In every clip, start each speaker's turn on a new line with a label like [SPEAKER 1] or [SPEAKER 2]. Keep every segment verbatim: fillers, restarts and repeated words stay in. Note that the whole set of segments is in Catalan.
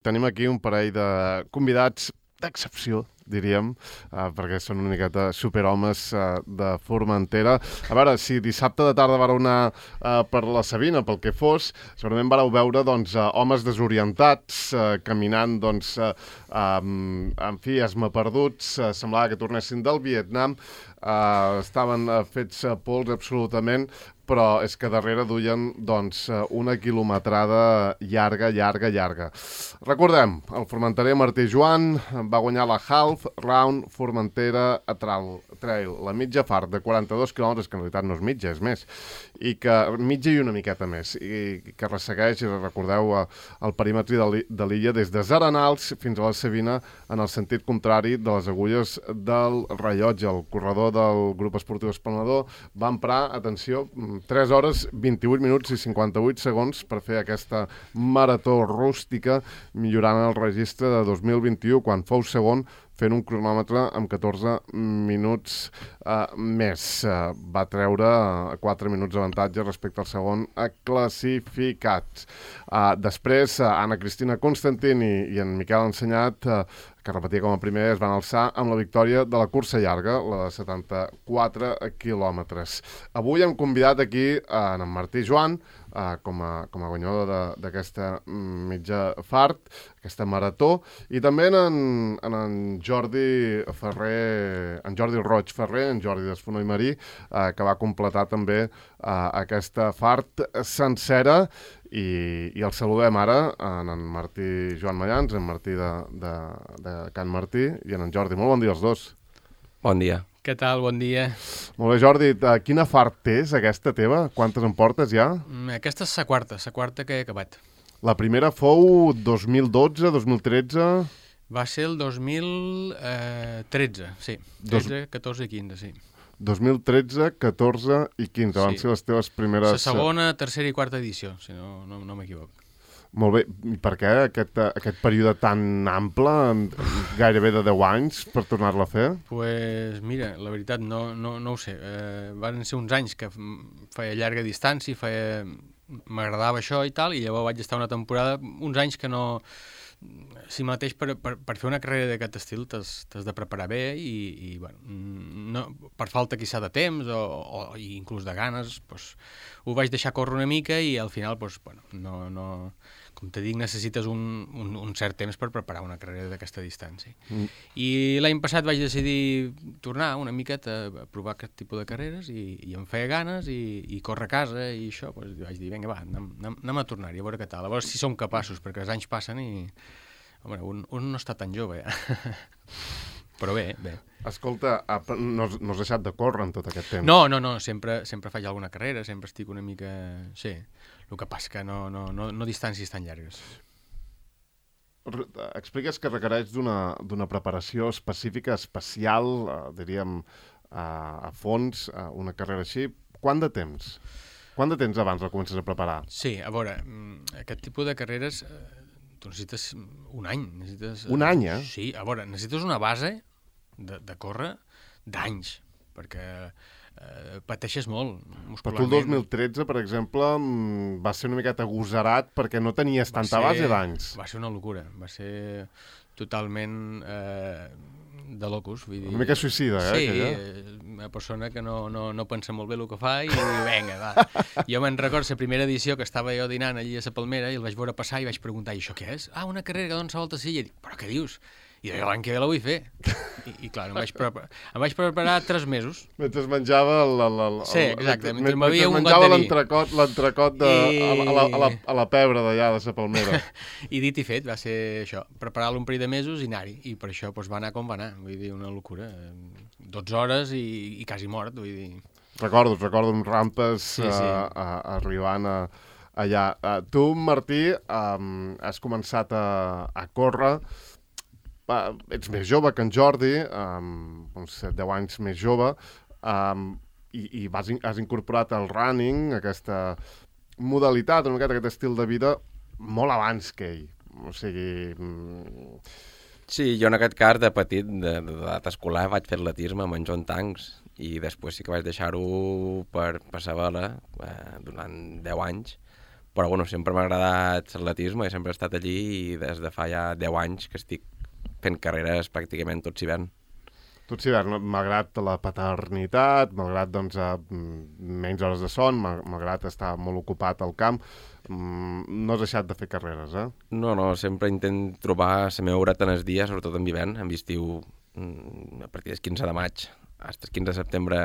[SPEAKER 1] Tenim aquí un parell de convidats d'excepció, diríem, uh, perquè són una miqueta superhomes uh, de Formentera. A veure, si dissabte de tarda vareu anar uh, per la Sabina, pel que fos, segurament vareu veure doncs, uh, homes desorientats, uh, caminant, doncs, uh, um, en fi, esmaperduts, uh, semblava que tornessin del Vietnam, uh, estaven uh, fets uh, pols absolutament, però és que darrere duien doncs, una quilometrada llarga, llarga, llarga. Recordem, el formenterer Martí Joan va guanyar la Half Round Formentera Trail, la mitja fart de quaranta-dos quilòmetres, que en realitat no és mitja, és més, i que mitja i una miqueta més, i que ressegueix, recordeu, el perímetre de l'illa des de Zaranals fins a la Sabina en el sentit contrari de les agulles del rellotge. El corredor del grup esportiu Esplanador va emprar, atenció, tres hores, vint-i-vuit minuts i cinquanta-vuit segons per fer aquesta marató rústica, millorant el registre de dos mil vint-i-u, quan fou segon, fent un cronòmetre amb catorze minuts uh, més. Uh, va treure quatre minuts d'avantatge respecte al segon classificat. Uh, després, uh, Anna Cristina Constantini i en Miquel Ensenyat, uh, que repetia com a primer, es van alçar amb la victòria de la cursa llarga, la de setanta-quatre quilòmetres. Avui hem convidat aquí uh, en Martí Joan, uh, com, a, com a guanyador d'aquesta mitja fart, aquesta marató, i també en, en, en Jordi Ferrer, en Jordi Roig Ferrer, en Jordi d'Esfonó i Marí, eh, que va completar també eh, aquesta fart sencera, i, i el saludem ara en en Martí Joan Mallans, en Martí de, de, de Can Martí, i en en Jordi. Molt bon dia als dos.
[SPEAKER 2] Bon dia.
[SPEAKER 3] Què tal? Bon dia.
[SPEAKER 1] Molt bé, Jordi, quina fart és aquesta teva? Quantes en portes ja?
[SPEAKER 3] Aquesta és la quarta, la quarta que he acabat.
[SPEAKER 1] La primera fou dos mil dotze, dos mil tretze...
[SPEAKER 3] Va ser el dos mil tretze, sí. tretze, catorze i quinze, sí.
[SPEAKER 1] dos mil tretze, catorze i quinze, sí. Van ser les teves primeres...
[SPEAKER 3] La segona, tercera i quarta edició, si no, no, no m'equivoc.
[SPEAKER 1] Molt bé. I per què aquest, aquest període tan ample, gairebé de deu anys, per tornar-la a fer?
[SPEAKER 3] Doncs pues, mira, la veritat no, no, no ho sé. Eh, van ser uns anys que feia llarga distància, feia... m'agradava això i tal, i llavors vaig estar una temporada, uns anys que no... Si mateix per, per, per fer una carrera d'aquest estil t'has de preparar bé i, i bueno, no, per falta quizà de temps o, o inclús de ganes, pues, ho vaig deixar córrer una mica i al final, pues, bueno, no, no, com te dic, necessites un, un, un cert temps per preparar una carrera d'aquesta distància. Mm. I l'any passat vaig decidir tornar una miqueta a provar aquest tipus de carreres i, i em feia ganes i, i córrer a casa i això, pues, vaig dir, vinga, va, anem, anem a tornar-hi, a veure què tal, a veure si som capaços, perquè els anys passen i... Home, un, un no està tan jove, ja. Però bé, bé.
[SPEAKER 1] Escolta, no, no has deixat de córrer en tot aquest temps?
[SPEAKER 3] No, no, no, sempre, sempre faig alguna carrera, sempre estic una mica... Sí, el que passa que no, no, no, no distàncies tan llargues.
[SPEAKER 1] Expliques que requereix d'una preparació específica, especial, eh, diríem, a, a fons, a una carrera així. Quant de temps? Quant de temps abans la comences a preparar?
[SPEAKER 3] Sí, a veure, aquest tipus de carreres... Tu necessites un any. Necessites,
[SPEAKER 1] un any, eh?
[SPEAKER 3] Sí, a veure, necessites una base de, de córrer d'anys, perquè eh, pateixes molt muscularment.
[SPEAKER 1] Però tu el dos mil tretze, per exemple, va ser una miqueta agosarat perquè no tenies tanta ser, base d'anys.
[SPEAKER 3] Va ser una locura, va ser totalment eh, de locus. Vull dir...
[SPEAKER 1] Una mica suïcida, eh?
[SPEAKER 3] Sí,
[SPEAKER 1] aquella.
[SPEAKER 3] Una persona que no, no, no pensa molt bé el que fa i diu, vinga, va. Jo me'n recordo la primera edició que estava jo dinant allí a la Palmera i el vaig veure passar i vaig preguntar, i això què és? Ah, una carrera que dona la volta a Silla. I dic, però què dius? I l'any que ve la vull fer. I, i clar, em vaig, preparar, em vaig preparar tres mesos.
[SPEAKER 1] Mentre menjava el... el, el
[SPEAKER 3] sí, exacte, mentre,
[SPEAKER 1] mentre
[SPEAKER 3] m'havia un got
[SPEAKER 1] menjava
[SPEAKER 3] de vi.
[SPEAKER 1] l'entrecot, l'entrecot de, I... a, la, a, la, a la pebre d'allà, de la Palmera.
[SPEAKER 3] I dit i fet, va ser això, preparar-lo un parell de mesos i anar-hi. I per això doncs, va anar com va anar, vull dir, una locura. dotze hores i, i quasi mort, vull dir...
[SPEAKER 1] Recordo, recordo amb rampes
[SPEAKER 3] sí, sí.
[SPEAKER 1] Uh, uh, arribant a, allà. Uh, tu, Martí, um, has començat a, a córrer... Uh, ets més jove que en Jordi, um, uns set deu anys més jove, um, i, i vas, has incorporat el running, aquesta modalitat, una miqueta aquest estil de vida, molt abans que ell. O sigui... Mm...
[SPEAKER 2] Sí, jo en aquest cas, de petit, d'edat escolar, vaig fer atletisme amb en John Tanks, i després sí que vaig deixar-ho per passar vela eh, durant deu anys, Però bueno, sempre m'ha agradat l'atletisme i sempre he estat allí i des de fa ja deu anys que estic fent carreres pràcticament tot hivern.
[SPEAKER 1] Tot hivern, malgrat la paternitat, malgrat doncs, menys hores de son, malgrat estar molt ocupat al camp, no has deixat de fer carreres, eh?
[SPEAKER 2] No, no, sempre intent trobar la meva horeta en els dies, sobretot en hivern, en estiu a partir del quinze de maig fins al quinze de setembre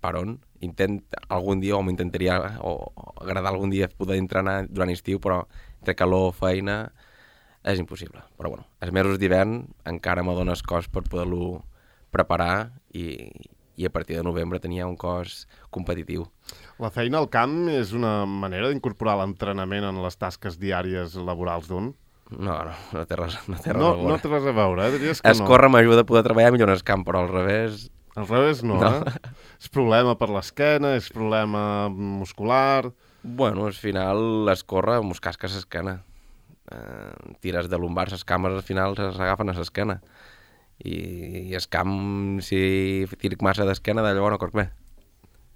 [SPEAKER 2] per on. Intent algun dia, o m'intentaria, o agradar algun dia poder entrenar durant estiu, però entre calor, feina, és impossible. Però bueno, els mesos d'hivern encara me dones cos per poder-lo preparar i, i a partir de novembre tenia un cos competitiu.
[SPEAKER 1] La feina al camp és una manera d'incorporar l'entrenament en les tasques diàries laborals d'un?
[SPEAKER 2] No, no, no té res, no té res
[SPEAKER 1] no,
[SPEAKER 2] a veure.
[SPEAKER 1] No té res a veure, eh? Diries que
[SPEAKER 2] es
[SPEAKER 1] no.
[SPEAKER 2] Córrer m'ajuda a poder treballar millor en el camp, però al revés...
[SPEAKER 1] Al revés no, no. eh? És problema per l'esquena, és problema muscular...
[SPEAKER 2] Bueno, al final es corre, mos casca l'esquena. Eh, tires de lumbar, les cames al final s'agafen a l'esquena. I, i el camp, si tiric massa d'esquena, d'allò no corc bé.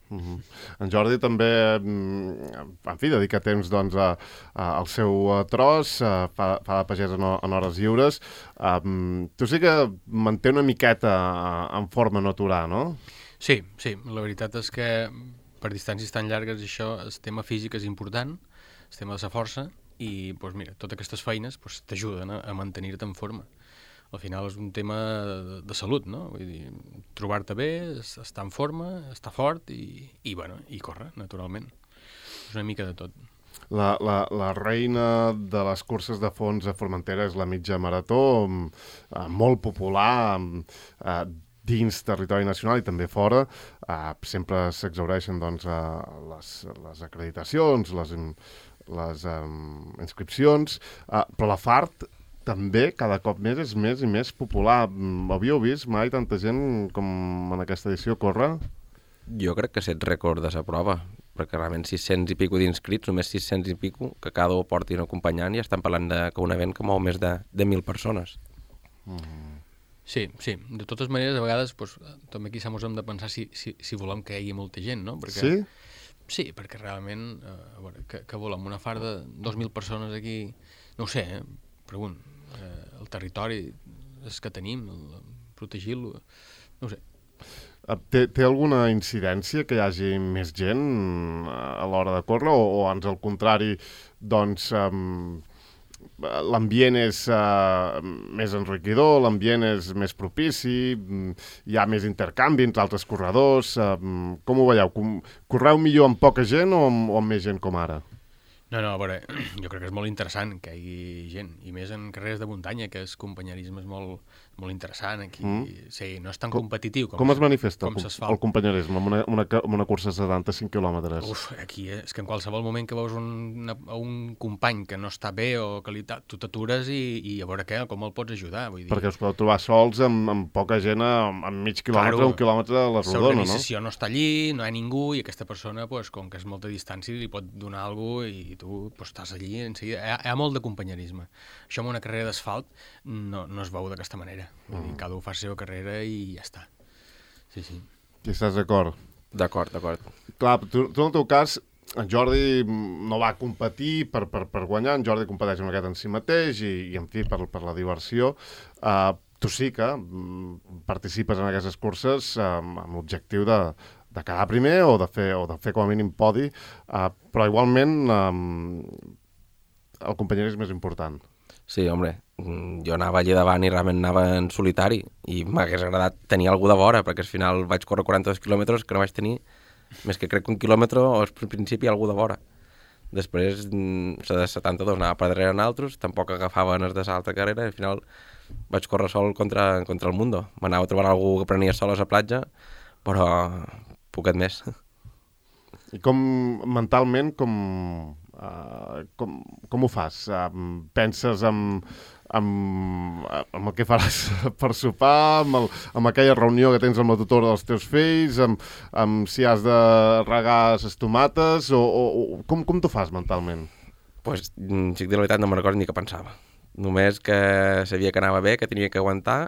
[SPEAKER 1] Uh-huh. En Jordi també, en fi, dedica temps doncs, a, a, al seu tros, a, fa, fa de pagès en, en hores lliures. Um, tu sí que manté una miqueta en forma no aturar, no?
[SPEAKER 3] Sí, sí, la veritat és que per distàncies tan llargues això, el tema físic és important, el tema de la força, i doncs, mira, totes aquestes feines doncs, t'ajuden a, a mantenir-te en forma. Al final és un tema de, de salut, no? Vull dir, trobar-te bé, estar en forma, estar fort i, i, bueno, i córrer, naturalment. És una mica de tot.
[SPEAKER 1] La, la, la reina de les curses de fons a Formentera és la mitja marató, molt popular, eh, dins territori nacional i també fora. Eh, sempre s'exhaureixen doncs, eh, les, les acreditacions, les, les um, inscripcions, eh, però la Fart també cada cop més és més i més popular. Havíeu vist mai tanta gent com en aquesta edició córrer?
[SPEAKER 2] Jo crec que set rècord de la prova, perquè realment sis-cents i pico d'inscrits, només sis-cents i pico, que cada un porti un acompanyant, i estan parlant de, que un event que mou més de, de mil persones.
[SPEAKER 3] Mm. Sí, sí. De totes maneres, a vegades, doncs, també aquí s'hemos hem de pensar si, si, si volem que hi hagi molta gent, no? Perquè,
[SPEAKER 1] sí?
[SPEAKER 3] Sí, perquè realment, eh, a veure, que, que volem una fart de dos mil persones aquí, no ho sé, eh? Pregunt, eh, el territori és que tenim, el, protegir-lo, no ho sé.
[SPEAKER 1] Té, té alguna incidència que hi hagi més gent a l'hora de córrer o, o ans al contrari, doncs um, l'ambient és uh, més enriquidor, l'ambient és més propici, hi ha més intercanvi entre altres corredors, uh, com ho veieu? Correu millor amb poca gent o amb, o amb més gent com ara?
[SPEAKER 3] No, no, a veure, jo crec que és molt interessant que hi hagi gent, i més en carreres de muntanya, que el companyerisme és molt, molt interessant aquí. Mm. Sí, no és tan com, competitiu com,
[SPEAKER 1] com es manifesta
[SPEAKER 3] com
[SPEAKER 1] el, el companyerisme amb una, una, una cursa de setanta-cinc quilòmetres?
[SPEAKER 3] Uf, aquí eh, és que en qualsevol moment que veus un, una, un company que no està bé o que li, tu t'atures i, i a veure què, com el pots ajudar. Vull dir...
[SPEAKER 1] Perquè us podeu trobar sols amb, amb poca gent, amb, amb mig quilòmetre, claro, un quilòmetre a la rodona, no?
[SPEAKER 3] L'organització no està allí, no hi ha ningú, i aquesta persona, pues, com que és molta distància, li pot donar alguna cosa i tu pues, estàs allí en seguida. Hi ha, hi ha molt de companyerisme. Això en una carrera d'asfalt no, no es veu d'aquesta manera. Vull dir, cada un fa la seva carrera i ja està. Sí, sí.
[SPEAKER 1] I estàs d'acord?
[SPEAKER 2] D'acord, d'acord.
[SPEAKER 1] Clar, tu, tu en el teu cas, en Jordi no va competir per, per, per guanyar, en Jordi competeix una miqueta en si mateix i, i en fi, per, per la diversió. Uh, tu sí que mm, participes en aquestes curses um, amb l'objectiu de, de quedar primer o de fer, o de fer com a mínim podi, uh, però igualment um, el companyerisme és important.
[SPEAKER 2] Sí, home, jo anava allà davant i realment anava en solitari i m'hagués agradat tenir algú de vora, perquè al final vaig córrer quaranta-dos quilòmetres que no vaig tenir, més que crec que un quilòmetre o al principi algú de vora. Després, la de setanta-dos anava per darrere en altres, tampoc agafava els de l'altra carrera i al final vaig córrer sol contra, contra el mundo. M'anava a trobar algú que prenia sol a la platja, però poquet més.
[SPEAKER 1] I com, mentalment, com, uh, com, com ho fas? Uh, penses en, en, en el que faràs per sopar, amb, el, amb aquella reunió que tens amb la tutora dels teus fills, amb, amb si has de regar les tomates, o, o, o com, com t'ho fas mentalment?
[SPEAKER 2] Pues, si et dic la veritat, no me'n recordo ni què pensava. Només que sabia que anava bé, que tenia que aguantar,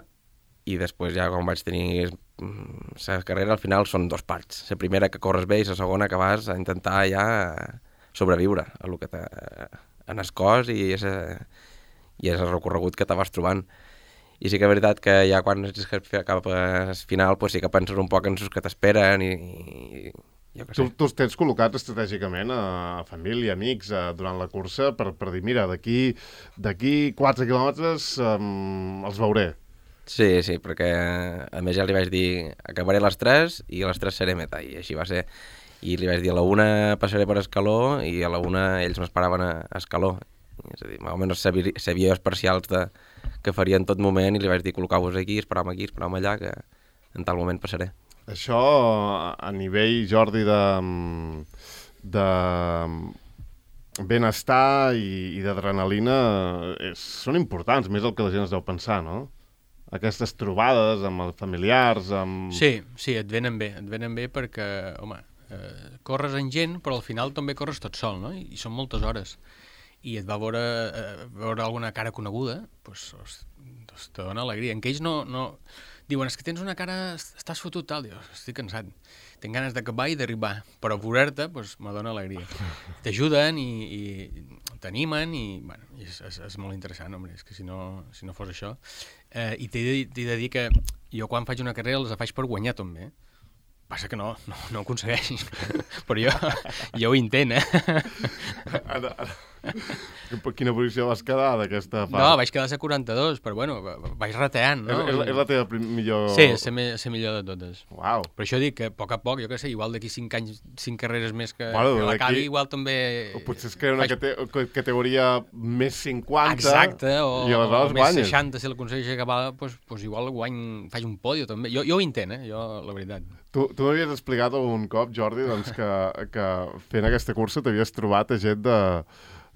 [SPEAKER 2] i després ja quan vaig tenir la carrera al final són dos parts. La primera que corres bé i la segona que vas a intentar ja sobreviure a lo que t'ha en el cos i és, i és el recorregut que te vas trobant. I sí que és veritat que ja quan és cap al final pues sí que penses un poc en els que t'esperen i, i jo què sé.
[SPEAKER 1] Tu, tu els tens col·locats estratègicament a família, amics, a, durant la cursa per, per dir, mira, d'aquí d'aquí quatre quilòmetres um, els veuré.
[SPEAKER 2] Sí, sí, perquè a més ja li vaig dir acabaré a les tres i a les tres seré meta, i així va ser. I li vaig dir a la una passaré per Escaló i a la una ells m'esperaven a Escaló. És a dir, més o menys sabia, sabia els parcials de, que faria en tot moment i li vaig dir col·locau-vos aquí, esperam aquí, esperam allà, que en tal moment passaré.
[SPEAKER 1] Això a nivell, Jordi, de, de benestar i, i d'adrenalina són importants, més el que la gent es deu pensar, no? Aquestes trobades amb els familiars, amb...
[SPEAKER 3] Sí, sí, et venen bé, et venen bé perquè, home, eh, corres en gent, però al final també corres tot sol, no? I, i són moltes hores. I et va veure, eh, veure alguna cara coneguda, doncs, doncs te dona alegria. En que ells no, no... Diuen, és que tens una cara... Estàs fotut, tal. Dius, estic cansat. Tinc ganes d'acabar i d'arribar. Però veure-te, doncs, me dona alegria. T'ajuden i, i t'animen i, bueno, és, és, és molt interessant, home. És que si no, si no fos això... Eh, I t'he de, t'he de dir que jo quan faig una carrera les faig per guanyar també. Passa que no, no, no ho aconsegueix. Però jo, jo ho intent, eh?
[SPEAKER 1] Ara, ara. Quina posició vas quedar d'aquesta part?
[SPEAKER 3] No, vaig quedar a quaranta-dos, però bueno, vaig rateant, no?
[SPEAKER 1] És, és, és la teva prim, millor...
[SPEAKER 3] Sí, és la, la millor de totes.
[SPEAKER 1] Uau.
[SPEAKER 3] Per això dic que a poc a poc, jo què sé, igual d'aquí cinc anys, cinc carreres més que,
[SPEAKER 1] bueno,
[SPEAKER 3] que l'acabi, igual també...
[SPEAKER 1] O potser es crea una faig... cate categoria més cinquanta.
[SPEAKER 3] Exacte, o,
[SPEAKER 1] i
[SPEAKER 3] o més seixanta, si l'aconsegueix acabar, doncs, doncs igual guany, faig un pòdio també. Jo, jo ho intent, eh? Jo, la veritat.
[SPEAKER 1] Tu, tu m'havies explicat algun cop, Jordi, doncs, que, que fent aquesta cursa t'havies trobat a gent de,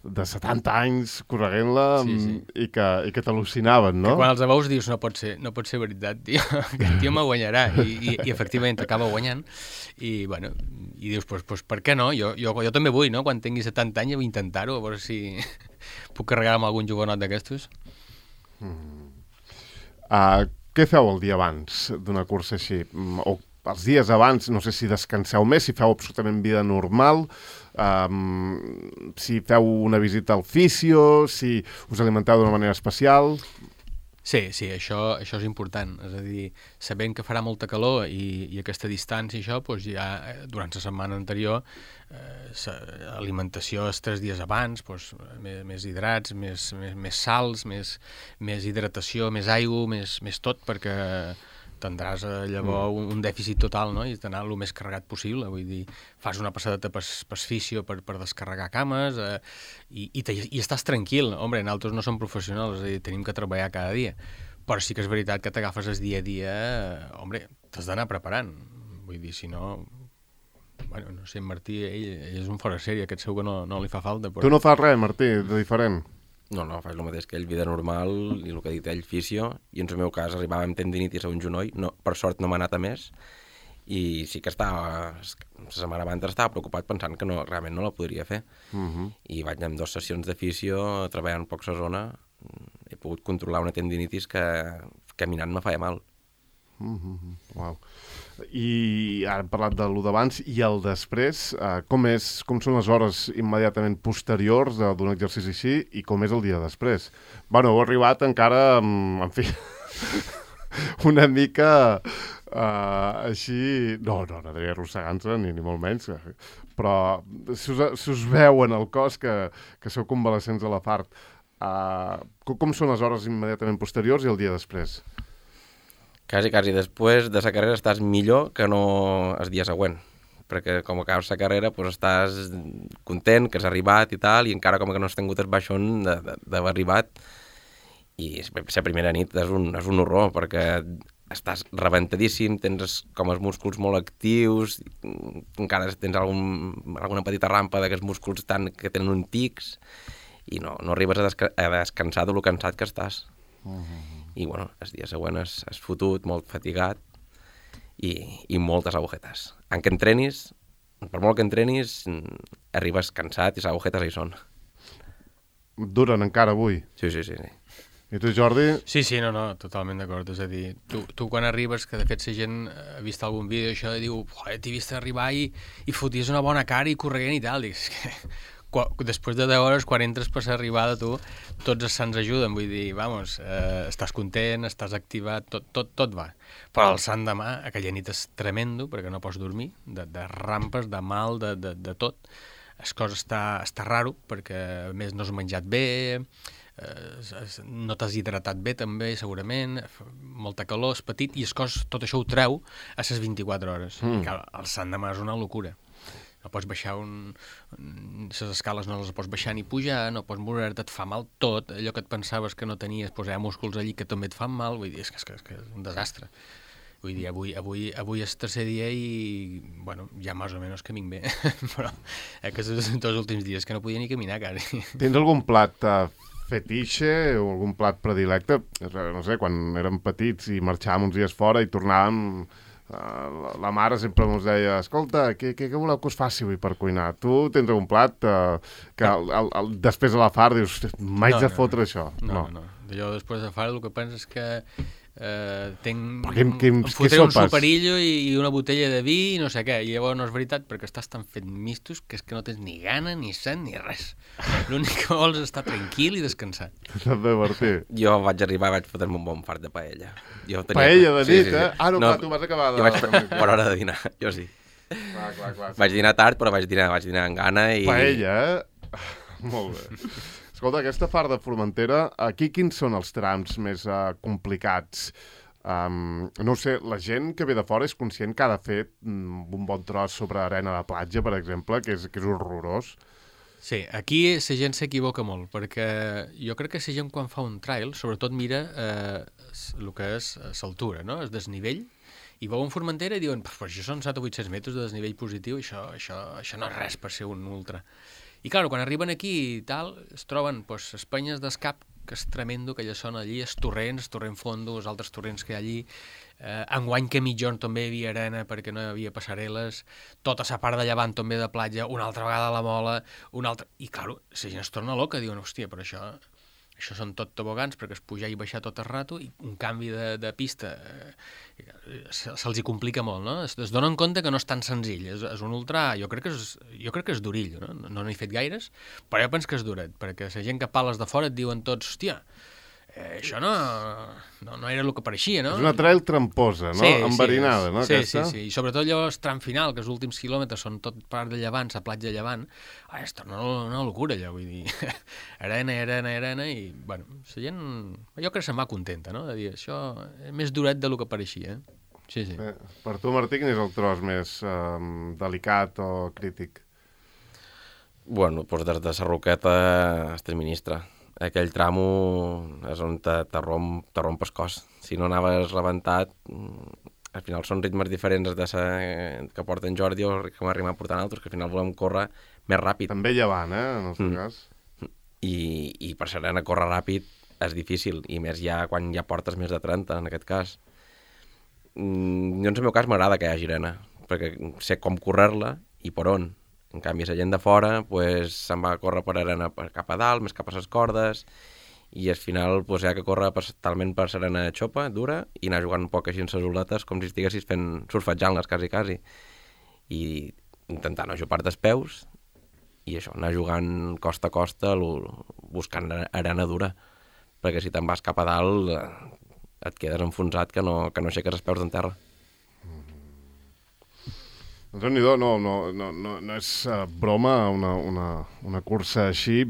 [SPEAKER 1] de setanta anys correguent-la
[SPEAKER 3] sí, sí.
[SPEAKER 1] i que, i que t'al·lucinaven, no?
[SPEAKER 3] Que quan els veus dius, no pot ser, no pot ser veritat, tio, que el tio me guanyarà. I, i, i efectivament t'acaba guanyant. I, bueno, i dius, pues, pues, per què no? Jo, jo, jo també vull, no? Quan tingui setanta anys vull intentar-ho, a veure si puc carregar amb algun jugonot d'aquestos.
[SPEAKER 1] Mm. Uh, què feu el dia abans d'una cursa així? O els dies abans, no sé si descanseu més, si feu absolutament vida normal, um, si feu una visita al fisio, si us alimenteu d'una manera especial...
[SPEAKER 3] Sí, sí, això, això és important. És a dir, sabent que farà molta calor i, i aquesta distància i això, doncs ja durant la setmana anterior, eh, alimentació els tres dies abans, doncs, més, més hidrats, més, més, més sals, més, més hidratació, més aigua, més, més tot, perquè tindràs llavors un, un dèficit total, no? I d'anar el més carregat possible. Vull dir, fas una passadeta per, per fisio per, per descarregar cames eh, i, i, i estàs tranquil. Hombre, nosaltres no som professionals, és a dir, tenim que treballar cada dia. Però sí que és veritat que t'agafes el dia a dia, eh, hombre, t'has d'anar preparant. Vull dir, si no... Bueno, no sé, en Martí, ell, ell és un fora sèrie, aquest segur que no, no li fa falta. Però...
[SPEAKER 1] Tu no fas res, Martí, de diferent?
[SPEAKER 2] No, no, faig el mateix que ell, vida normal, i el que ha dit ell, fisio, i en el meu cas arribava amb tendinitis a un genoll, no, per sort no m'ha anat a més, i sí que estava, la setmana abans estava preocupat pensant que no, realment no la podria fer.
[SPEAKER 1] Uh-huh.
[SPEAKER 2] I vaig amb dues sessions de fisio, treballant poc la zona, he pogut controlar una tendinitis que caminant me feia mal.
[SPEAKER 1] Uh-huh. Uau. I ara hem parlat de lo d'abans i el després, eh, com, és, com són les hores immediatament posteriors d'un exercici així i com és el dia després? Bueno, heu arribat encara, en fi, una mica uh, així... No, no, no diria arrossegant-se, ni, ni molt menys, però si us, si us veu en el cos que, que sou convalescents a la fart, uh, com, com són les hores immediatament posteriors i el dia després?
[SPEAKER 2] Quasi, quasi després de la carrera estàs millor que no el dia següent, perquè com acabes la carrera doncs estàs content que has arribat i tal, i encara com que no has tingut el baixón d'haver arribat, i la primera nit és un, és un horror, perquè estàs rebentadíssim, tens com els músculs molt actius, encara tens algun, alguna petita rampa d'aquests músculs tan, que tenen un tics, i no, no arribes a, desca a descansar de lo cansat que estàs. Uh-huh. I bueno, el dia següent has, has fotut, molt fatigat i, i moltes agujetes. En què entrenis, per molt que entrenis, arribes cansat i les agujetes hi són.
[SPEAKER 1] Duren encara avui?
[SPEAKER 2] Sí, sí, sí. sí.
[SPEAKER 1] I tu, Jordi?
[SPEAKER 3] Sí, sí, no, no, totalment d'acord. És a dir, tu, tu quan arribes, que de fet la gent ha vist algun vídeo això i diu, t'he vist arribar i, i foties una bona cara i corregent i tal. Dic, és que quan, després de deu hores, quan entres per l'arribada, tu, tots els sants ajuden. Vull dir, vamos, eh, estàs content, estàs activat, tot, tot, tot va. Però el sant demà, aquella nit és tremendo, perquè no pots dormir, de, de rampes, de mal, de, de, de tot. El cos està, està raro, perquè a més no has menjat bé, eh, no t'has hidratat bé també, segurament, molta calor, és petit, i el cos tot això ho treu a les vint-i-quatre hores. Mm. I clar, el sant demà és una locura. No pots baixar un... les escales no les pots baixar ni pujar, no pots moure-te, et fa mal tot, allò que et pensaves que no tenies, doncs hi ha músculs allí que també et fan mal, vull dir, és que és, que, és, que és un desastre. Vull dir, avui, avui, avui és tercer dia i, bueno, ja més o menys caminc bé, però aquests dos últims dies que no podia ni caminar, quasi.
[SPEAKER 1] Tens algun plat uh, fetiche o algun plat predilecte? No sé, quan érem petits i marxàvem uns dies fora i tornàvem, uh, la, la mare sempre ens deia, escolta, què, què, què voleu que us faci avui per cuinar? Tu tens algun plat uh, que el, el, el, després de la far dius, m'haig
[SPEAKER 3] no,
[SPEAKER 1] de fotre
[SPEAKER 3] no,
[SPEAKER 1] això?
[SPEAKER 3] No, no, no. Jo després de far el que penso és que Uh, tenc,
[SPEAKER 1] què, què,
[SPEAKER 3] em fotré
[SPEAKER 1] què
[SPEAKER 3] un superillo i, i una botella de vi i no sé què, i llavors no és veritat perquè estàs tan fet mistos que és que no tens ni gana, ni set, ni res. L'únic que vols és estar tranquil i descansar.
[SPEAKER 1] T'has de divertir.
[SPEAKER 2] Jo vaig arribar i vaig fotre-me un bon fart de paella. Jo tenia...
[SPEAKER 1] Paella de nit, sí, sí, sí. eh? Ah, no,
[SPEAKER 2] no,
[SPEAKER 1] clar, tu vas acabar de...
[SPEAKER 2] Jo vaig fer per hora de dinar, jo sí.
[SPEAKER 1] Clar, clar, clar.
[SPEAKER 2] Vaig dinar tard, però vaig dinar, vaig dinar amb gana i...
[SPEAKER 1] Paella, eh? Molt bé. Escolta, aquesta far de Formentera, aquí quins són els trams més uh, complicats? Um, no ho sé, la gent que ve de fora és conscient que ha de fer um, un bon tros sobre arena de platja, per exemple, que és, que és horrorós.
[SPEAKER 3] Sí, aquí la gent s'equivoca molt, perquè jo crec que la gent quan fa un trail, sobretot mira eh, el que és l'altura, no? El desnivell, i veuen Formentera i diuen, però això són set o vuit-cents metres de desnivell positiu, això, això, això no és res per ser un ultra. I clar, quan arriben aquí i tal, es troben pues, les penyes d'escap, que és tremendo, que allà són allí, els torrents, torrent fondo, els altres torrents que hi ha allí. Eh, enguany que mitjon també hi havia arena perquè no hi havia passarel·les, tota la part de llevant també de platja, una altra vegada a la Mola, una altra... I, clar, la gent es torna loca, diuen, hòstia, però això, això són tot tobogans perquè es pujar i baixar tot el rato i un canvi de, de pista eh, se'ls hi complica molt, no? Es, es donen compte que no és tan senzill, és, és un ultra, jo crec que és, jo crec que és durillo, no? No n'he fet gaires, però jo penso que és duret, perquè la gent que pales de fora et diuen tots, hòstia, eh, això no, no, no era el que pareixia, no?
[SPEAKER 1] És una trail tramposa, no?
[SPEAKER 3] Sí,
[SPEAKER 1] enverinada,
[SPEAKER 3] sí,
[SPEAKER 1] no?
[SPEAKER 3] Sí,
[SPEAKER 1] aquesta?
[SPEAKER 3] sí, sí, i sobretot allò el tram final, que els últims quilòmetres són tot part de llevant, la platja de llevant, ah, és una, una locura allò, vull dir, arena, arena, arena, i, bueno, la gent, jo crec que se'n va contenta, no?, de dir, això és més duret del que pareixia, eh? Sí, sí.
[SPEAKER 1] Bé, per tu, Martí, quin és el tros més um, delicat o crític?
[SPEAKER 2] Bueno, doncs des de la Roqueta es ministra. Aquell tramo és on te, te, romp, te romp el cos. Si no anaves rebentat, al final són ritmes diferents de sa, que porten Jordi o que m'arriba portant altres, que al final volem córrer més ràpid.
[SPEAKER 1] També llevant, eh, en el seu mm. cas.
[SPEAKER 2] I, I per ser a córrer ràpid és difícil, i més ja quan ja portes més de trenta, en aquest cas. Mm, jo, en el meu cas, m'agrada que hi hagi arena, perquè sé com córrer-la i per on. En canvi, la gent de fora pues, se'n va a córrer per arena cap a dalt, més cap a les cordes, i al final pues, hi ha que córrer per, talment per arena xopa, dura, i anar jugant un poc així en les oletes, com si estiguessis fent surfejant-les, quasi, quasi. I intentar no ajupar-te els peus, i això, anar jugant costa a costa, buscant arena dura, perquè si te'n vas cap a dalt et quedes enfonsat que no, que no aixeques els peus d'en terra.
[SPEAKER 1] Doncs no, no, no, no, no, no és uh, broma una, una, una cursa així.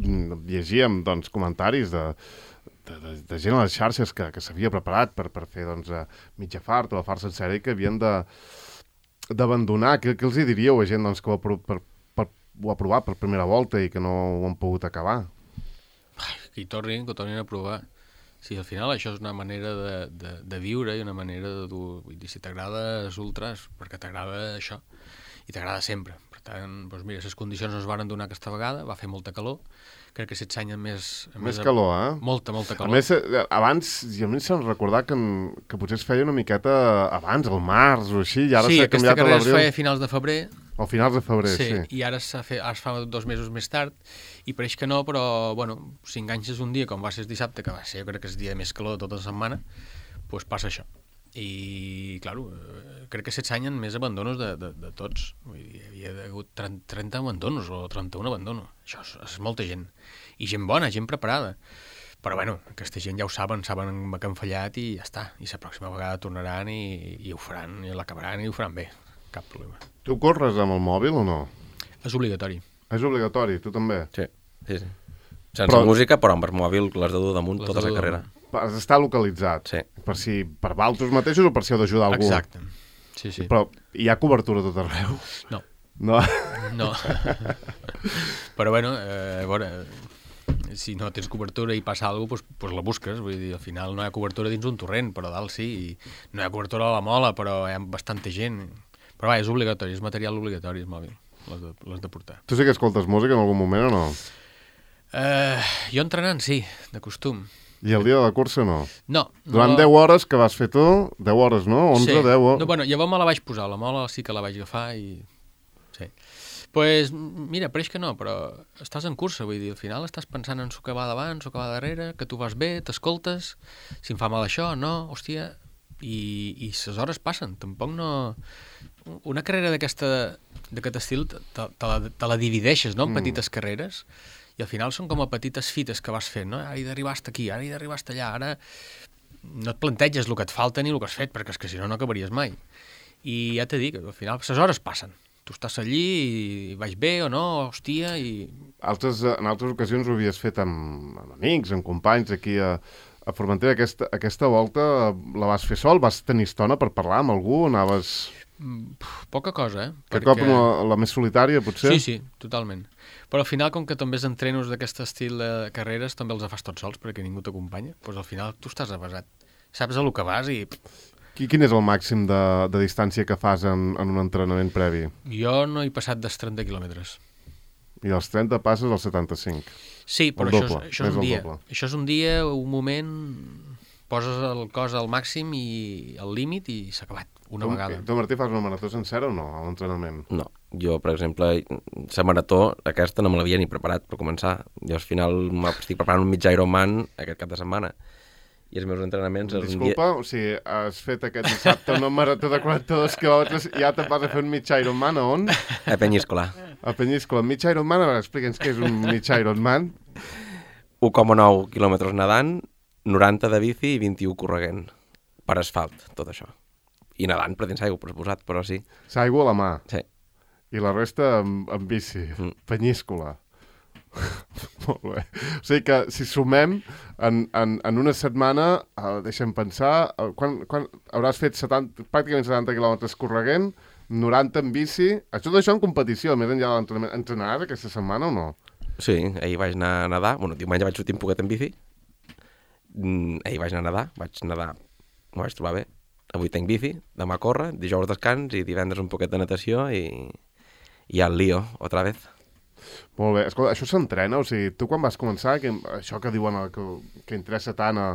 [SPEAKER 1] Llegíem doncs, comentaris de, de, de, de gent a les xarxes que, que s'havia preparat per, per fer doncs, uh, mitja fart o la fart sencera i que havien d'abandonar. Què, què els hi diríeu a gent doncs, que ho ha, per, per, ho ha provat per primera volta i que no ho han pogut acabar?
[SPEAKER 3] Ai, que hi tornin, que ho tornin a provar. Sí, al final això és una manera de, de, de viure i una manera de dur... Vull dir, si t'agrada els ultras, perquè t'agrada això, i t'agrada sempre. Per tant, doncs mira, les condicions no es van donar aquesta vegada, va fer molta calor, crec que s'exany amb més... Amb
[SPEAKER 1] més calor, eh?
[SPEAKER 3] Molta, molta calor.
[SPEAKER 1] A més, abans, jo m'he de recordar que, que potser es feia una miqueta abans, al març o així, i ara
[SPEAKER 3] sí,
[SPEAKER 1] s'ha canviat a l'abril.
[SPEAKER 3] Sí, aquesta carrera es feia a finals de febrer,
[SPEAKER 1] O finals de febrer, sí.
[SPEAKER 3] Sí, i ara, fet, ara es fa dos mesos més tard, i pareix que no, però, bueno, si enganxes un dia, com va ser el dissabte, que va ser, jo crec que és el dia més calor de tota la setmana, doncs passa això. I, clar, crec que aquests anys hi ha més abandonos de, de, de tots. Vull dir, hi havia hagut trenta abandonos o trenta-un abandonos. Això és, és molta gent. I gent bona, gent preparada. Però, bueno, aquesta gent ja ho saben, saben que han fallat i ja està. I la pròxima vegada tornaran i, i ho faran, i l'acabaran i ho faran bé. Cap problema.
[SPEAKER 1] Tu corres amb el mòbil o no?
[SPEAKER 3] És obligatori.
[SPEAKER 1] És obligatori, tu també?
[SPEAKER 2] Sí, sí, sí. Sense però... música, però amb el mòbil les de dur damunt tota la carrera.
[SPEAKER 1] Has d'estar localitzat.
[SPEAKER 2] Sí.
[SPEAKER 1] Per si per valtros mateixos o per si heu d'ajudar algú.
[SPEAKER 3] Exacte. Sí, sí.
[SPEAKER 1] Però hi ha cobertura tot arreu?
[SPEAKER 3] No.
[SPEAKER 1] No?
[SPEAKER 3] No. Però, bueno, eh, a veure, si no tens cobertura i passa alguna cosa, doncs, doncs la busques. Vull dir, al final no hi ha cobertura dins un torrent, però dalt sí. I no hi ha cobertura a la mola, però hi ha bastanta gent. Però va, és obligatori, és material obligatori, el mòbil, les de, les de portar.
[SPEAKER 1] Tu sí que escoltes música en algun moment o no?
[SPEAKER 3] Eh, jo entrenant, sí, de costum.
[SPEAKER 1] I el dia de la cursa no?
[SPEAKER 3] No.
[SPEAKER 1] Durant
[SPEAKER 3] no...
[SPEAKER 1] deu hores que vas fer tu, deu hores, no? onze,
[SPEAKER 3] sí.
[SPEAKER 1] deu...
[SPEAKER 3] No, bueno, llavors me la vaig posar, la mola sí que la vaig agafar i... Sí. Pues, mira, pareix que no, però estàs en cursa, vull dir, al final estàs pensant en s'ho que va davant, s'ho que va darrere, que tu vas bé, t'escoltes, si em fa mal això, no, hòstia... I, i les hores passen, tampoc no... Una carrera d'aquesta d'aquest estil te, te, la, te la divideixes, no?, en mm. petites carreres, i al final són com a petites fites que vas fent, no? Ara he d'arribar hasta aquí, ara he d'arribar hasta allà, ara no et planteges el que et falta ni el que has fet, perquè és que si no, no acabaries mai. I ja t'he dit que al final les hores passen. Tu estàs allí i vaig bé o no, hòstia, i...
[SPEAKER 1] Altres, en altres ocasions ho havies fet amb, amb amics, amb companys aquí a, a Formentera. Aquesta, aquesta volta la vas fer sol? Vas tenir estona per parlar amb algú? Anaves...
[SPEAKER 3] Poca cosa, eh?
[SPEAKER 1] Que perquè... cop la, la més solitària, potser?
[SPEAKER 3] Sí, sí, totalment. Però al final, com que també els entrenos d'aquest estil de carreres, també els fas tots sols, perquè ningú t'acompanya, doncs al final tu estàs avasat. Saps a lo que vas i...
[SPEAKER 1] Quin és el màxim de, de distància que fas en, en un entrenament previ?
[SPEAKER 3] Jo no he passat dels trenta quilòmetres.
[SPEAKER 1] I dels trenta passes als setanta-cinc?
[SPEAKER 3] Sí, però
[SPEAKER 1] el
[SPEAKER 3] això,
[SPEAKER 1] doble,
[SPEAKER 3] és, això és un dia.
[SPEAKER 1] Doble.
[SPEAKER 3] Això és un dia, un moment... Poses el cos al màxim i al límit i s'ha acabat, una
[SPEAKER 1] tu,
[SPEAKER 3] vegada.
[SPEAKER 1] Tu, Martí, fas una marató sencera o no, a l'entrenament?
[SPEAKER 2] No. Jo, per exemple, la marató, aquesta no me l'havia ni preparat per començar. Jo al final m'estic preparant un mig Ironman aquest cap de setmana. I els meus entrenaments...
[SPEAKER 1] Disculpa, dia... o sigui, has fet aquest dissabte una marató de quaranta-dos quilòmetres i ja te'n vas a fer un mig Ironman, a on?
[SPEAKER 2] A Penyíscola.
[SPEAKER 1] A Penyíscola. Mig Ironman? A veure, explica'ns què és un mig Ironman.
[SPEAKER 2] un coma nou quilòmetres nedant, noranta de bici i vint-i-u correguent. Per asfalt, tot això. I nedant, per dins aigua, per suposat, però sí.
[SPEAKER 1] S'aigua a la mà.
[SPEAKER 2] Sí.
[SPEAKER 1] I la resta amb, amb bici. Mm. Penyíscola. Molt bé. O sigui que si sumem en, en, en una setmana, uh, deixa'm pensar, uh, quan, quan hauràs fet setanta, pràcticament setanta quilòmetres correguent, noranta en bici, tot això en competició, més enllà de l'entrenament. Entrenaràs aquesta setmana o no?
[SPEAKER 2] Sí, ahir vaig anar a nedar, bueno, diumenge vaig sortir un poquet en bici, mm, ahir vaig anar a nedar, vaig nedar, m'ho vaig trobar bé, avui tenc bici, demà corre, dijous descans i divendres un poquet de natació i, i al lío, otra vez.
[SPEAKER 1] Molt bé. Escolta, això s'entrena? O sigui, tu quan vas començar, que, això que diuen el, que, que interessa tant a,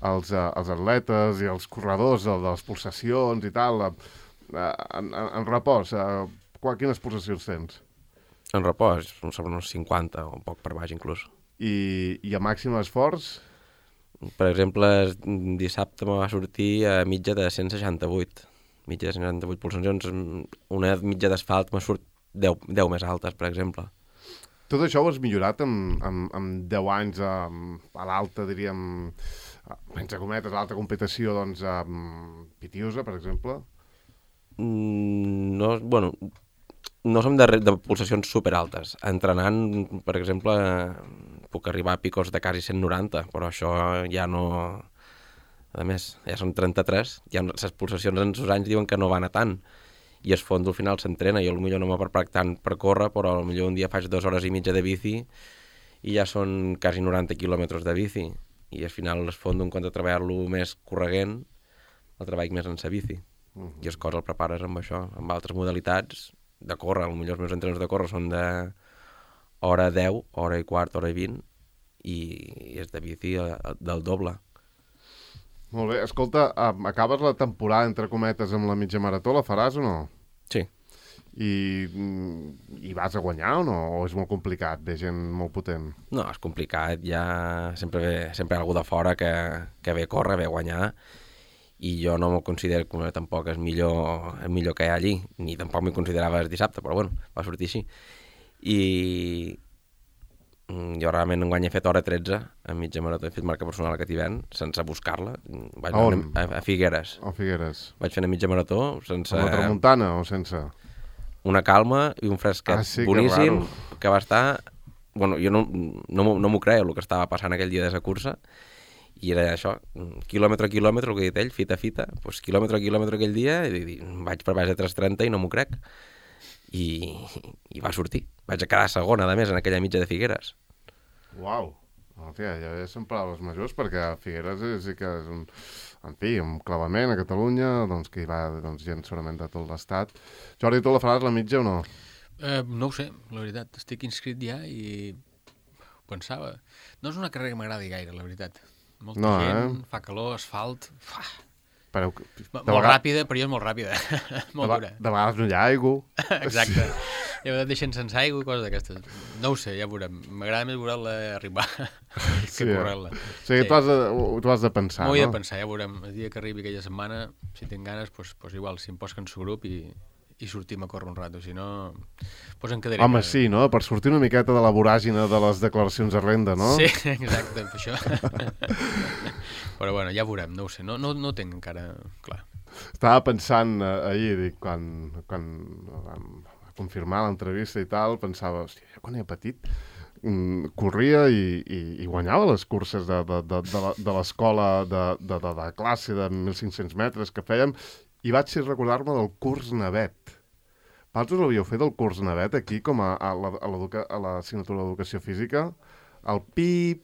[SPEAKER 1] als, a, als atletes i als corredors, de, de les pulsacions i tal, a, a, en, en repòs, a, quines pulsacions tens?
[SPEAKER 2] En repòs, sobre uns cinquanta o un poc per baix inclús.
[SPEAKER 1] I, i a màxim esforç?
[SPEAKER 2] Per exemple, dissabte me va sortir a mitja de cent seixanta-vuit. Mitja de cent seixanta-vuit pulsacions. Una mitja d'asfalt me surt deu, deu més altes, per exemple.
[SPEAKER 1] Tot això ho has millorat en, en, en deu anys a, a l'alta, diríem, menys cometes, a l'alta competició, doncs, a Pitiusa, per exemple?
[SPEAKER 2] Mm, no, bueno, no som de, de pulsacions superaltes. Entrenant, per exemple, puc arribar a picos de quasi cent noranta, però això ja no... A més, ja són trenta-tres, ja les pulsacions en els anys diuen que no van a tant. I el fons al final s'entrena, jo potser no m'ha preparat tant per córrer, però potser un dia faig dues hores i mitja de bici i ja són quasi noranta quilòmetres de bici. I al final el fons, en compte de treballar-lo més correguent, el treball més en sa bici. Uh-huh. I el cos el prepares amb això, amb altres modalitats de córrer. Potser els meus entrenaments de córrer són de hora deu, hora i quart, hora i vint, i és de bici del doble.
[SPEAKER 1] Molt bé. Escolta, acabes la temporada, entre cometes, amb la mitja marató, la faràs o no?
[SPEAKER 2] Sí.
[SPEAKER 1] i, i vas a guanyar o no? O és molt complicat, ve gent molt potent?
[SPEAKER 2] No, és complicat, ja sempre ve, sempre hi ha algú de fora que, que ve a córrer, ve a guanyar, i jo no me'l considero com tampoc és millor, el millor que hi ha allí, ni tampoc m'hi considerava el dissabte, però bueno, va sortir així. I jo realment enguany he fet hora tretze a mitja marató, he fet marca personal a Cativent sense buscar-la. Vaig
[SPEAKER 1] a,
[SPEAKER 2] a, a Figueres.
[SPEAKER 1] A Figueres.
[SPEAKER 2] Vaig fer una mitja marató sense...
[SPEAKER 1] A la tramuntana o sense?
[SPEAKER 2] Una calma i un fresquet
[SPEAKER 1] ah, sí,
[SPEAKER 2] boníssim que, que va estar... Bueno, jo no, no, no m'ho creia el que estava passant aquell dia de la cursa, i era això, quilòmetre a quilòmetre, el que he dit ell, fita a fita, doncs quilòmetre a quilòmetre aquell dia, i, i vaig per baix de tres trenta i no m'ho crec. I, I va sortir. Vaig a quedar segona, a més, en aquella mitja de Figueres.
[SPEAKER 1] Uau! Hòstia, ja són paraules majors, perquè Figueres sí que és un, en fi, un clavament a Catalunya, doncs que hi va doncs, gent segurament de tot l'estat. Jordi, tu la faràs la mitja o no?
[SPEAKER 3] Eh, no ho sé, la veritat. Estic inscrit ja i pensava... No és una carrera que m'agradi gaire, la veritat. Molta
[SPEAKER 1] no,
[SPEAKER 3] gent,
[SPEAKER 1] eh?
[SPEAKER 3] fa calor, asfalt... Fa...
[SPEAKER 1] Però,
[SPEAKER 3] molt vegades... ràpida, però jo és molt ràpida. molt
[SPEAKER 1] de,
[SPEAKER 3] dura.
[SPEAKER 1] De vegades no hi ha aigua.
[SPEAKER 3] Exacte. Ja et deixen sense aigua i coses d'aquestes. No ho sé, ja veurem. M'agrada més veure-la arribar que
[SPEAKER 1] sí,
[SPEAKER 3] correr-la.
[SPEAKER 1] O sigui, sí. tu, has de, tu has de pensar,
[SPEAKER 3] no? M'ho
[SPEAKER 1] no?
[SPEAKER 3] he de pensar, ja veurem. El dia que arribi aquella setmana, si tinc ganes, doncs, doncs igual, si em posquen su grup i, i sortim a córrer un rato. Si no, doncs em quedaré.
[SPEAKER 1] Home, sí, no? Per sortir una miqueta de la voràgina de les declaracions de renda, no?
[SPEAKER 3] Sí, exacte, per això. Però bueno, ja veurem, no ho sé. No, no, no tinc encara clar.
[SPEAKER 1] Estava pensant eh, ahir, dic, quan, quan vam confirmar l'entrevista i tal, pensava, hòstia, jo quan era petit mm, corria i, i, i guanyava les curses de, de, de, de, de l'escola de, de, de, de classe de mil cinc-cents metres que fèiem, i vaig recordar-me del curs navet. Vosaltres l'havíeu fet el curs navet aquí, com a, a, la, a l'assignatura d'educació física? El pip,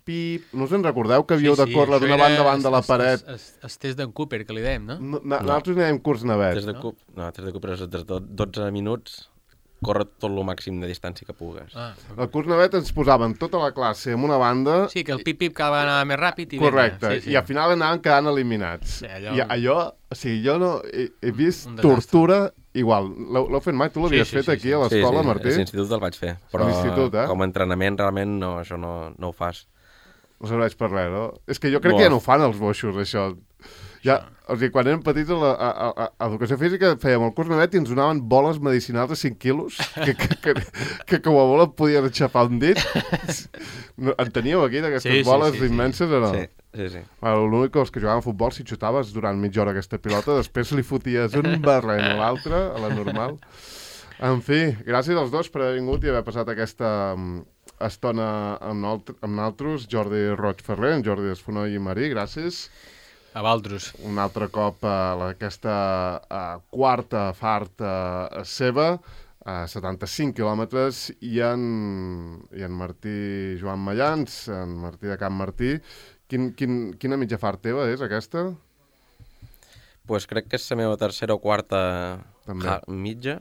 [SPEAKER 1] pip... No us en recordeu que havíeu sí, sí, de córrer d'una banda a banda de la paret?
[SPEAKER 3] El, el test d'en Cooper, que li dèiem, no?
[SPEAKER 1] no, no. Nosaltres n'hi dèiem curs navet.
[SPEAKER 2] Test de, no? No, test de Cooper és de dotze minuts, córrer tot el màxim de distància que pugues. Ah,
[SPEAKER 1] el curs navet ens posaven tota la classe en una banda...
[SPEAKER 3] Sí, que el pip-pip cada vegada anava més ràpid i...
[SPEAKER 1] Correcte,
[SPEAKER 3] sí, sí.
[SPEAKER 1] i al final anaven quedant eliminats.
[SPEAKER 3] Sí, allò...
[SPEAKER 1] I allò, o sigui, jo no he, he vist tortura igual. L'heu fet mai? Tu l'havies sí, sí, fet aquí sí, sí. a l'escola,
[SPEAKER 2] sí, sí.
[SPEAKER 1] Martí?
[SPEAKER 2] Sí, sí, a l'institut el vaig fer, però
[SPEAKER 1] eh?
[SPEAKER 2] com a entrenament realment no, això no, no ho fas.
[SPEAKER 1] No serveix per res, no? És que jo crec
[SPEAKER 2] Boa.
[SPEAKER 1] que ja no ho fan els boixos, això. Ja, o sigui, quan érem petits a, la, a, a, a Educació Física fèiem el curs navet i ens donaven boles medicinals de cinc quilos que, que, que, que com a bola podien aixafar un dit. No, en teníeu aquí d'aquestes sí, sí, boles sí, sí, immenses o no?
[SPEAKER 2] Sí, sí, sí.
[SPEAKER 1] Bueno, l'únic que els que jugaven a futbol, si xutaves durant mitja hora aquesta pilota, després li foties un barrent a l'altre, a la normal. En fi, gràcies als dos per haver vingut i haver passat aquesta estona amb, amb nosaltres. Jordi Roig Ferrer, en Jordi Esfonoi i Marí, gràcies.
[SPEAKER 3] A Valtros.
[SPEAKER 1] Un altre cop a aquesta a quarta fart a seva, a setanta-cinc quilòmetres, i en, i en Martí Joan Mallans, en Martí de Can Martí. Quin, quin, quina mitja fart teva és aquesta?
[SPEAKER 2] Pues crec que és la meva tercera o quarta
[SPEAKER 1] ha,
[SPEAKER 2] mitja.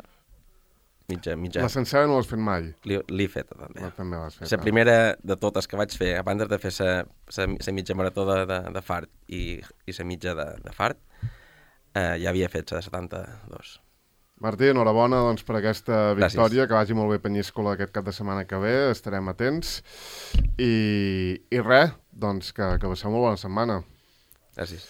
[SPEAKER 2] Mitja, mitja.
[SPEAKER 1] La sencera no l'has fet mai?
[SPEAKER 2] L'he feta, també.
[SPEAKER 1] La, també l'has fet.
[SPEAKER 2] La primera de totes que vaig fer, abans de fer la mitja marató de, de, de fart i la mitja de, de fart, eh, ja havia fet la de setanta-dos.
[SPEAKER 1] Martí, enhorabona doncs, per aquesta victòria.
[SPEAKER 2] Gràcies.
[SPEAKER 1] Que vagi molt bé Penyíscola aquest cap de setmana que ve, estarem atents. I, i res, doncs que, que passeu molt bona setmana.
[SPEAKER 2] Gràcies.